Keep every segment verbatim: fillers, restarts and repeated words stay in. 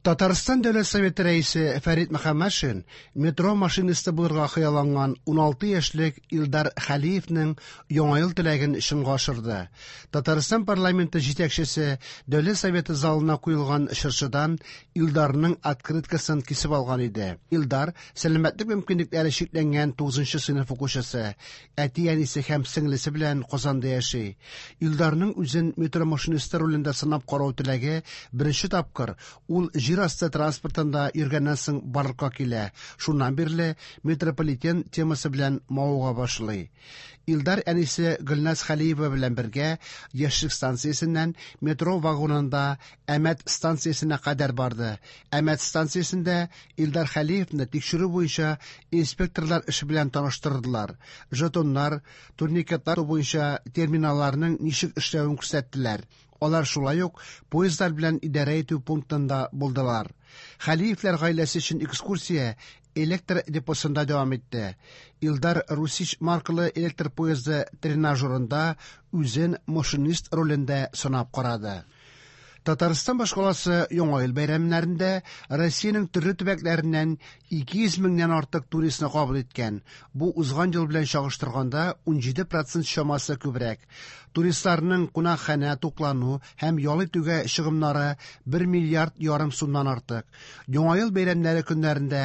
Татарстан Дәүләт Советы рәисе Фәрит Мөхәммәтшин метро машинисты булырга хыялланган уналты яшьлек Илдар Хәлиевнең Яңа ел теләген чынга ашырды. Татарстан парламенты җитәкчесе Дәүләт Советы залына куелган чыршыдан Илдарның открыткасын кисеп алган иде. Илдар сәламәтлек мөмкинлекләре чикләнгән тугызынчы сыйныф укучысы, әти-әнисе һәм сеңлесе белән Казанда яши. Илдарның үзен метро машинисты ролендә сынап карау теләге беренче тапкыр ул җир асты транспортында йөргәннән соң барлыкка килә. Шуннан бирле метрополитен темасы белән мавыга башлый. Илдар әнисе Гөлназ Хәлиева белән бергә Яшьлек станциясеннән метро вагонында Әмәт станциясенә кадәр барды. Әмәт станциясендә Илдар Хәлиевны тикшерү буенча инспекторлар эше белән таныштырдылар. Жетоннар, турникетлар буенча терминалларның ничек эшләвен күрсәттеләр. Алар шулай ук поездлар белән идарә итү пунктында булдылар. Хәлиевләр гаиләсе өчен экскурсия электр депосында дәвам итте. Илдар Русич маркалы электр поезды тренажерында үзен машинист ролендә сынап карады. Татарстан башкаласы Яңа ел бәйрәмнәрендә Россиянең төрле төбәкләреннән ике йөз меңнән артык туристны кабул иткән. Бу узган ел белән чагыштырганда унҗиде процент чамасы күбрәк. Туристларның кунакханә, туклану һәм ял итүгә чыгымнары бер миллиард ярым сумнан артык. Яңа ел бәйрәмнәре көннәрендә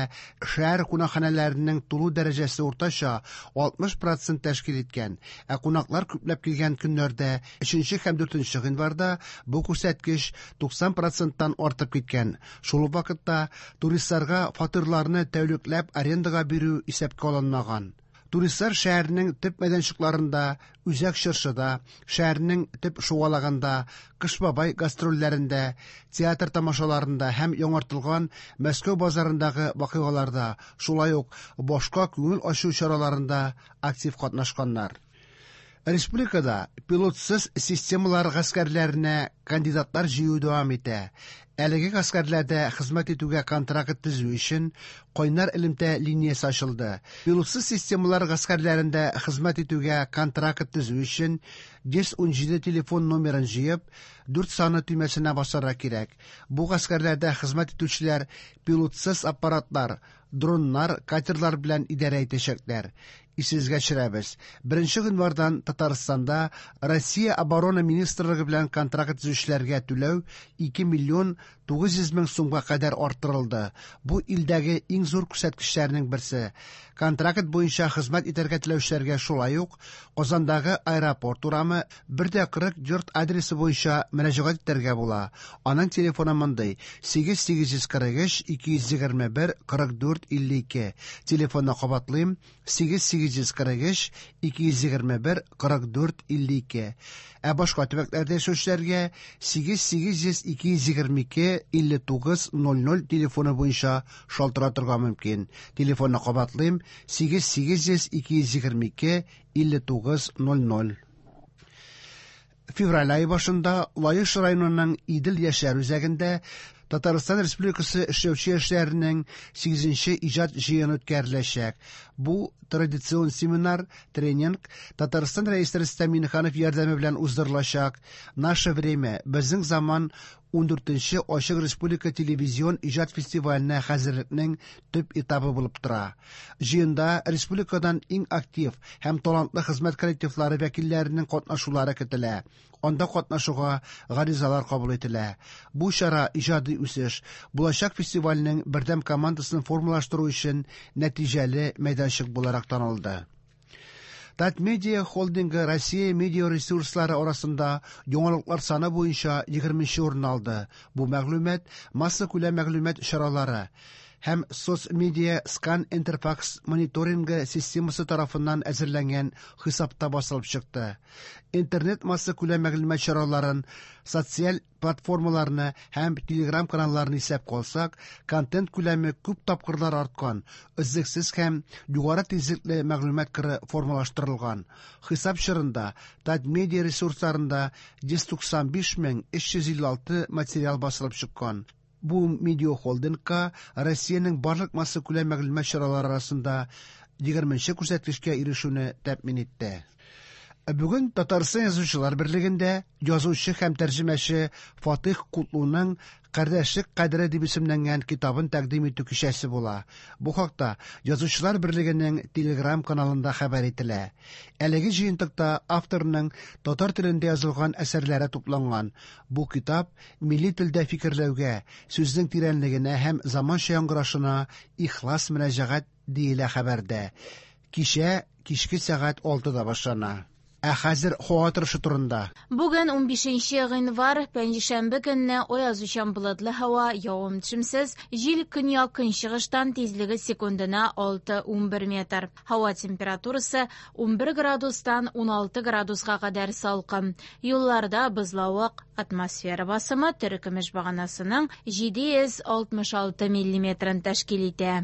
шәһәр кунакханәләренең тулу дәрәҗәсе уртача алтмыш процент тәшкил иткән. Ә кунаклар күпләп килгән көннәрдә өченче һәм дүртенче гыйнварда бу күрсәткеч туксан проценттан артып киткән. Шул ук вакытта туристларга фатирларны тәүлекләп арендага бирү исәпкә алынмаган. Туристлар шәһәрнең төп мәйданчыкларында, Үзәк Чыршыда, шәһәрнең төп шугалагында, Кыш бабай гастрольләрендә, театр тамашаларында һәм яңартылган Мәскәү базарындагы вакыйгаларда, шулай ук башка күңел ачу чараларында актив катнашканнар. Республикада пилотсыз системалар гаскәрләренә кандидатлар җыю дәвам итә. Әлеге гаскәрләрдә хезмәт итүгә контракт төзү өчен кайнар элемтә линиясе ачылды. Пилотсыз системалар гаскәрләрендә хезмәт итүгә контракт төзү өчен йөз унҗиде телефон номерын җыеп, дүрт саны төймәсенә басарга кирәк. Бу гаскәрләрдә хезмәт итүчеләр пилотсыз аппаратлар, дроннар, катерлар белән идарә итәчәкләр. Исегезгә төшерәбез. Беренче гыйнвардан Татарстанда Россия Оборона Министрлыгы белән контракт төзүчеләргә түләү ике миллион тугыз йөз мең сумга кадәр арттырылды. Бу илдәге иң зур күрсәткечләрнең берсе. Контракт буенча хезмәт итәргә теләүчеләргә шулай ук Казандагы аэропорт урамы бер дә кырык йорт адресы буенча мөрәҗәгать итәргә була. Аның телефоны мондый: сигез сигез йөз кырык өч ике йөз егерме бер кырык дүрт илле ике. Телефонны кабатлыйм: сигез сигез йөз кырык өч ике йөз егерме бер кырык дүрт илле ике. Ә башка төбәкләрдә яшәүчеләргә сигез сигез йөз ике йөз егерме ике илле тугыз ноль ноль телефоны буенча шалтыратырга мөмкин. Телефонны кабатлыйм: сигез сигез йөз ике йөз егерме ике илле тугыз ноль ноль. Февраль айы башында Лаеш районының Идел яшьләр үзәгендә Татарстан Республикасы эшләүче яшьләренең сигезенче иҗат җыены үткәреләчәк. Бу традицион семинар, тренинг Татарстан Рәисе Рөстәм Миңнеханов ярдәме белән уздырылачак. Наше время, безнең заман ундүртенче Ачык Республика телевизион иҗат фестиваленә хәзерлекнең төп этабы булып тора. Җыенда республикадан иң актив һәм талантлы хезмәт коллективлары вәкилләренең катнашулары көтелә. Анда катнашуга гаризалар кабул ителә. Бу чара иҗади үсеш, булачак фестивальнең бердәм командасын формалаштыру өчен нәтиҗәле мәйданчык буларак танылды. Татмедиа холдингы Россия медиа ресурслары арасында яңалыклар саны буенча егерменче урын алды. Бу мәгълүмат массакүләм мәгълүмат чаралары һәм соцмедиа скан интерфакс мониторингы системасы тарафыннан әзерләнгән хисапта басылып чыкты. Интернет массакүләм мәгълүмат чараларын, социаль платформаларны һәм телеграм каналларны исәпкә алсак, контент күләме күп тапкырлар арткан, өзлексез һәм югары тизлекле мәгълүмат кыры формалаштырылган. Хисап чорында Татмедиа ресурсларында йөз туксан биш мең өч йөз илле алты материал басылып чыккан. Бу медиа холдингка Россиянең барлык массакүләм мәгълүмат чаралары арасында егерменче күрсәткечкә ирешүне тәэмин итте. Бүген Татарстан Язучылар берлегендә язучы һәм тәрҗемәче Фатих Кутлуның «Кардәшлек кадере» дип исемләнгән китабын тәкъдим итү кичәсе була. Бу хакта Язучылар берлегенең Телеграм-каналында хәбәр ителә. Әлеге җыентыкта авторның татар телендә язылган әсәрләре тупланган. Бу китап милли телдә фикерләүгә, сүзнең тирәнлегенә һәм заманча яңгырашына ихлас мөрәҗәгать, диелә хәбәрдә. Кичә кичке сәгать алтыда башлана. Ә хәзер һава торышы турында. Бүген унбишенче гыйнвар, пәнҗешәмбе көнне аязучан болытлы һава, явым-төшемсез, җил көньяк-көнчыгыштан, тизлеге секундына алты-унбер метр. Һава температурасы унбер градустан уналты градуска кадәр салкын. Юлларда бозлавык, атмосфера басымы терекөмеш баганасының җиде йөз алтмыш алты миллиметрын тәшкил итә.